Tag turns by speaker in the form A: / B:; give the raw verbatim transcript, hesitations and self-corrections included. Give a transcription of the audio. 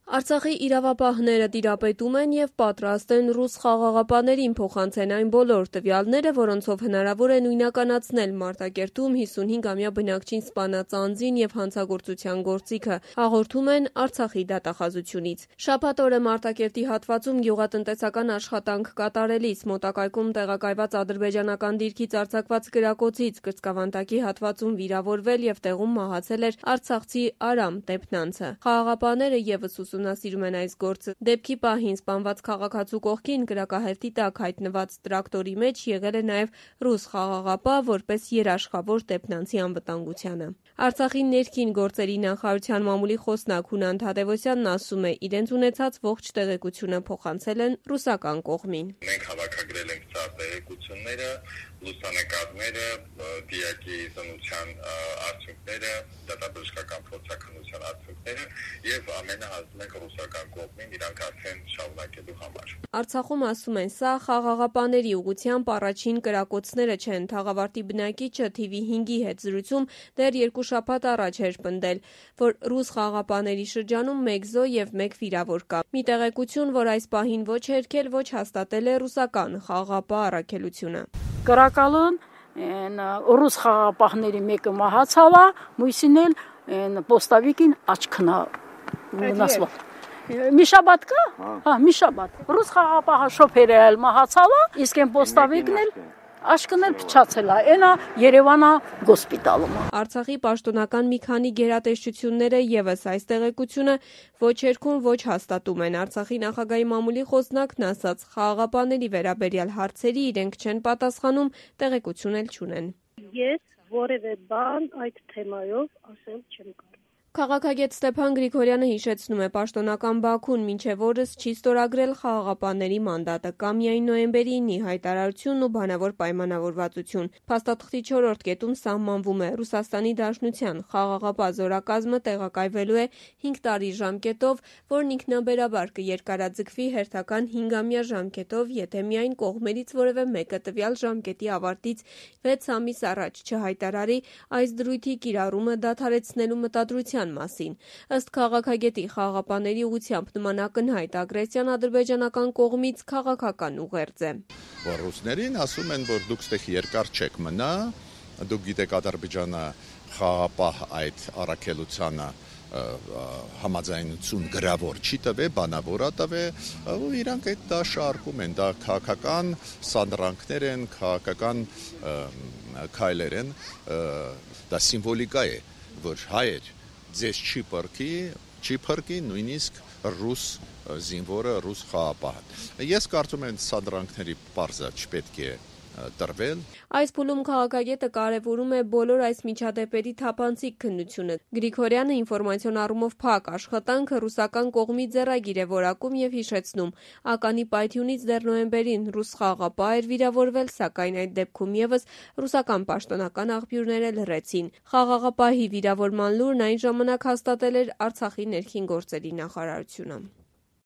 A: Արցախի իրավապահները տիրապետում են եւ պատրաստ են ռուս խաղաղապաներին փոխանցեն այն բոլոր տվյալները, որոնցով հնարավոր է նույնականացնել Մարտակերտում հիսունհինգամյա բնակչին սպանած անձին եւ հանցագործության գործիքը, հաղորդում են Արցախի դատախազությունից։ Շաբաթ օրը Մարտակերտի հատվածում գյուղատնտեսական աշխատանք կատարելիս մոտակայքում տեղակայված ադրբեջանական դիրքից արձակված կրակոցից կրծքավանդակի հատվածում վիրավորվել եւ տեղում մահացել էր արցախցի Արամ Տեփնանցը։ Խաղաղապաները եւս ուսումնասիրում են այս գործը։ Դեպքի պահին սպանված քաղաքացու կողքին կրակահերթի տակ հայտնված տրակտորի մեջ եղել է նաև ռուս խաղաղապահ, որպես երաշխավոր Տեփնանցի անվտանգությանը։ Արցախի ներքին գործերի նախարարության մամուլի խոսնակ Հունան Թադևոսյանն ասում է, իրենց ունեցած ողջ տեղեկությունը փոխանցել են ռուսական կողմին։
B: Մենք հավաքագրել ենք ցած տեղեկությունները, լուսանկարները, դիակի զննության արդյունքները, դատաբժշկական փորձաքննության արդյունքները եւ ամենը հասնում ենք ռուսական կողմին իրանք արդեն շարունակելու համար։
A: Արցախում ասում են, սա խաղաղապաների ուղղությամբ առաջին կրակոցները չեն։ Թաղավարտի բնակիչը Թ V հինգի հետ զրույցում դեռ երկու շաբաթ առաջ էր պնդել, որ ռուս խաղաղապաների շրջանում մեկ զոհ եւ մեկ վիրավոր կա։ Մի տեղեկություն, որ այս պահին ոչ հերքել, ոչ հաստատել է ռուսական խաղաղապահ առաքելությունը։
C: Կրակալն ռուս խաղաղապահների մեկը մահացավ, մյուսին էլ պոստավիկին աչքնա վնասված։ Մի շաբաթ կա? Հա, մի շաբաթ։ Ռուս խաղաղապահը շոֆերը էլ մահացավ, իսկ այն պոստավիկն էլ աշկն էլ փչացել է, այնա Երևանա հոսպիտալում։
A: Արցախի պաշտոնական մի քանի գերատեսչությունները եւս այս տեղեկությունը ոչ երգում, ոչ հաստատում են։ Արցախի նախագահի մամուլի խոսնակն ասաց, խաղաղապաների վերաբերյալ հարցերի իրենք չեն պատասխանում, տեղեկություն էլ չունեն։
D: Ես որևէ բան այդ թեմայով ասել չեմ կարող։
A: Քաղաքագետ Ստեփան Գրիգորյանը հիշեցնում է, պաշտոնական Բաքուն մինչև օրս չի ստորագրել խաղաղապահների մանդատը, կա միայն նոյեմբերի ինի հայտարարությունն ու բանավոր պայմանավորվածություն։ Փաստաթղթի չորրորդ կետում սահմանվում է Ռուսաստանի Դաշնության խաղաղապահ զորակազմը տեղակայվելու է հինգ տարի ժամկետով, որն ինքնաբերաբար կերկարաձգվի հերթական հինգամյա ժամկետով, եթե միայն կողմերից որևէ մեկը տվյալ ժամկետի ավարտից վեց ամիս առաջ չհայտարարի այս դրույթի կիրառումը դադարեցնելու մտադրության մասին։ Ըստ քաղաքագետի, խաղաղապահների ուղղությամբ նման ակնհայտ ագրեսիան ադրբեջանական կողմից քաղաքական ուղերձ է։
E: Որ ռուսներին ասում են, որ դուք ստեղ երկար չեք մնա, դուք գիտեք Ադրբեջանը խաղաղապահ այդ առաքելությանը համաձայնություն գրավոր չի տվել, բանավոր է տվել, ու իրանք այդ դա շարքում են, դա քաղաքական սանդրանքներ են, քաղաքական քայլեր են, դա սիմվոլիկա է, որ հայեր ձեզ չի պրկի, չի պրկի նույնիսկ ռուս զինվորը, ռուս խաղաղապահը։ Ես կարծում եմ սանդրանքների պարզը չպետք է տրվել։
A: Այս փուլում քաղաքագետը կարևորում է բոլոր այս միջադեպերի թափանցիկ քննությունը։ Գրիգորյանը ինֆորմացիոն առումով փակ աշխատանքը ռուսական կողմի ձեռագիր է որակում եւ հիշեցնում, ականի պայթյունից դեռ նոյեմբերին ռուս խաղաղապահ էր վիրավորվել, սակայն այդ դեպքում եւս ռուսական պաշտոնական աղբյուրները լռեցին։ Խաղաղապահի վիրավորման լուրն այն ժամանակ հաստատել էր Արցախի ներքին գործերի նախարարությունը։